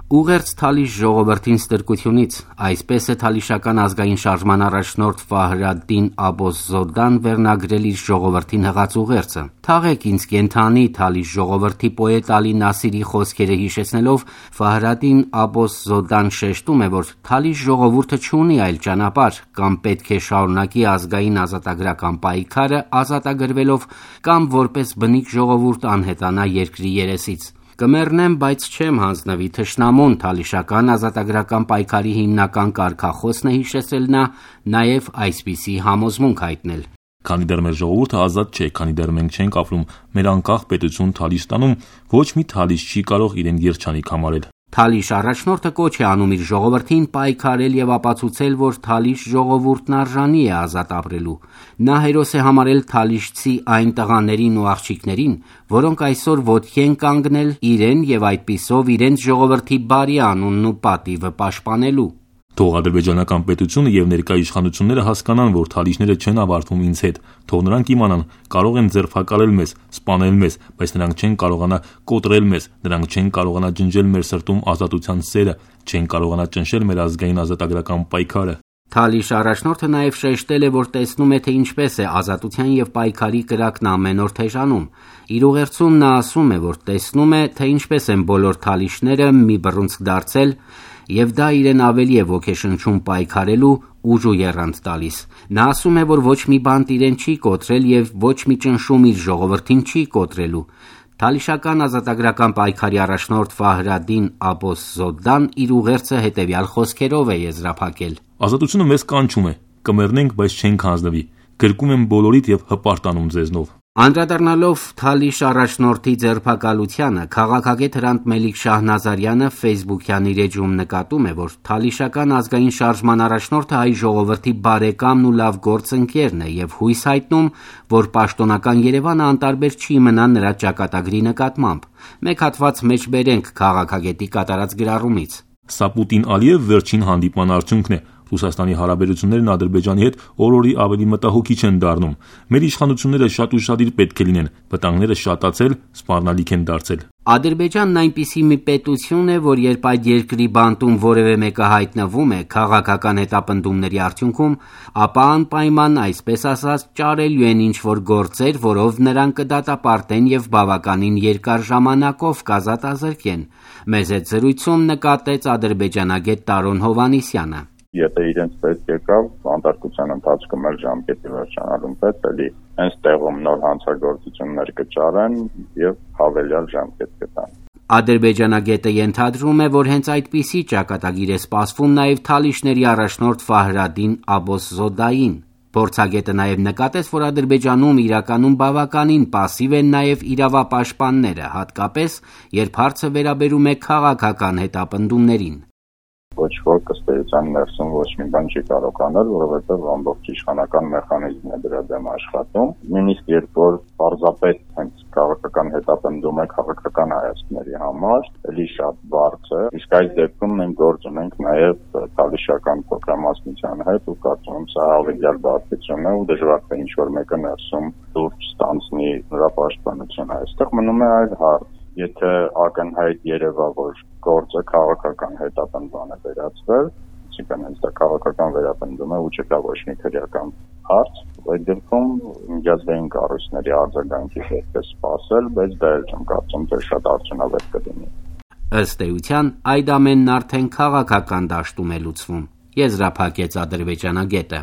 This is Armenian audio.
Ուղերձ Թալիշ ժողովրդին ստրկությունից, այսպես է թալիշական ազգային շարժման առաջնորդ Ֆահրադդին Աբոս-Զոդան վերնագրել իր ժողովրդին հղած ուղերձը։ Թաղեք ինձ կենդանի Թալիշ ժողովրդի պոետ Ալի Նասիրի խոսքերը հիշեցնելով Ֆահրադդին Աբոս-Զոդան շեշտում է, որ Թալիշ ժողովուրդը չունի այլ ճանապարհ, կամ պետք է շարունակի ազգային ազատագրական պայքարը ազատագրվելով, կամ որպես բնիկ ժողովուրդ անհետանա երկրի երեսից։ Կմեռնեմ, բայց չեմ հանձնվի թշնամուն, թալիշական ազատագրական պայքարի հիմնական կարգախոսն է հիշեցրել նա, նաև այսպիսի համոզմունք հայտնել։ Քանի դեռ մեր ժողովուրդը ազատ չէ, քանի դեռ մենք չենք ապրում մեր անկախ պետություն Թալիշտանում, ոչ մի թալիշ չի կարող իրեն երջանիկ համարել։ Թալիշ առաջնորդը կոչ է անում իր ժողովրդին պայքարել եւ ապացուցել, որ Թալիշ ժողովուրդն արժանի է ազատ ապրելու։ Նա հերոս է համարել թալիշցի այն տղաներին ու աղջիկներին, որոնք այսօր ոտքի են կանգնել իրեն եւ այդպիսով իրենց ժողովրդի բարի անունն ու պատիվը պաշտպանելու։ Թող ադրբեջանական պետությունը եւ ներկա իշխանությունները հասկանան, որ թալիշները չեն ավարտվում ինձ հետ, թող նրանք իմանան, կարող են ձերբակալել մեզ, սպանել մեզ, բայց նրանք չեն կարողանա կոտրել մեզ, նրանք չեն կարողանա ջնջել մեր սրտում ազատության սերը, չեն կարողանա ճնշել մեր ազգային ազատագրական պայքարը։ Թալիշ առաջնորդը նաև շեշտել է, որ տեսնում է, թե ինչպես է ազատության եւ պայքարի կրակն ամեն օր թեժանում։ Իր ուղերձում նա ասում է, որ տեսնում է, թե ինչպես են բոլոր թալիշները մի բռունցք դարձել, եւ դա իրեն ավելի է ոգեշնչում պայքարելու ուժ ու եռանդ տալիս։ Նա ասում է, որ ոչ մի բանտ իրեն չի կոտրել եւ ոչ մի ճնշում իր ժողովրդին չի կոտրելու։ Թալիշական ազատագրական պայքարի առաջնորդ Ֆահրադդին Աբոս-Զոդան իր ուղերձը հետեւյալ խոսքերով է եզրափակել. Ազատությունը մեզ կանչում է, կմեռնենք, բայց չենք հանձնվի, գրկում եմ բոլորիդ եւ հպարտանում ձեզնով։ Անդրադառնալով Թալիշ առաջնորդի ձերբակալությանը, քաղաքագետ Հրանտ Մելիք-Շահ Նազարյանը Facebook-յան իր էջում նկատում է, որ Թալիշական ազգային շարժման առաջնորդը հայ ժողովրդի բարեկամն ու լավ գործընկերն է եւ հույս հայտնում, որ պաշտոնական Երևանը անտարբեր չի մնա նրա ճակատագրի նկատմամբ։ Մեկ հատված մեջ բերենք քաղաքագետի կատարած գրառումից. Սա Պուտին-Ալիև վերջին հանդիպման արդյունքն է։ Ռուսաստանի հարաբերություններն Ադրբեջանի հետ օր-օրի ավելի մտահոգիչ են դառնում։ Մեր իշխանությունները շատ ուշադիր պետք է լինեն, վտանգները շատացել, սպառնալիք են դարձել։ Ադրբեջանն այնպիսի մի պետություն է, որ երբ այդ երկրի բանտում որևէ մեկը հայտնվում է քաղաքական հետապնդումների արդյունքում, ապա անպայման, այսպես ասած, ճարելու են ինչ-որ գործեր, որով նրան կդատապարտեն եւ բավականին երկար ժամանակով կազատազրկեն։ Մեզ հետ զրույցում նկատեց ադրբեջանագետ Տարոն Հովհաննիսյանը։ Եթե իրենց պետք եկավ, անդարկության ընթացքում էլ ժամկետի վերջանալուն պես էլի հենց տեղում նոր հանցագործություններ կճարեն եւ հավելյալ ժամկետ կտան։ Ադրբեջանագետը ենթադրում է, որ հենց այդպիսի ճակատագիր է սպասվում նաև թալիշների առաջնորդ Ֆահրադդին Աբոս-Զոդային։ Փորձագետը նաև նկատեց, որ Ադրբեջանում իրականում բավականին պասիվ են նաև իրավապաշտպանները, հատկապես երբ հարցը վերաբերում է քաղաքական հետապնդումներին։ Ոչ ոք ըստ էության ներսում ոչ մի բան չի կարող անել, որովհետև ամբողջ իշխանական մեխանիզմն է դրա դեմ աշխատում։ Նույնիսկ երբ որ պարզապես հենց քաղաքական հետապնդում է քաղաքական հայացքների համար, էլի շատ բարձ է։ Իսկ այս դեպքում մենք գործ ունենք նաև թալիշական փոքրամասնության հետ ու կարծում եմ սա հավելյալ բարդություն է ու դժվար է ինչ-որ մեկը ներսում դուրս ստանցնի նրա պաշտպանությունը։ Այստեղ մնում է այլ հարց։ Եթե ակնհայտ երևա, որ գործը քաղաքական հետապնդման է վերածվել, այսինքն հենց դա քաղաքական վերապնդում է ու չկա ոչ մի քրեական հարց, այդ դեպքում միջազգային կառույցների արձագանքի պետք է սպասել, բայց դա էլ չեմ կարծում, թե շատ արդյունավետ կլինի։ Ըստ էության, այդ ամենն արդեն քաղաքական դաշտում է լուծվում, եզրափակեց ադրբեջանագետը։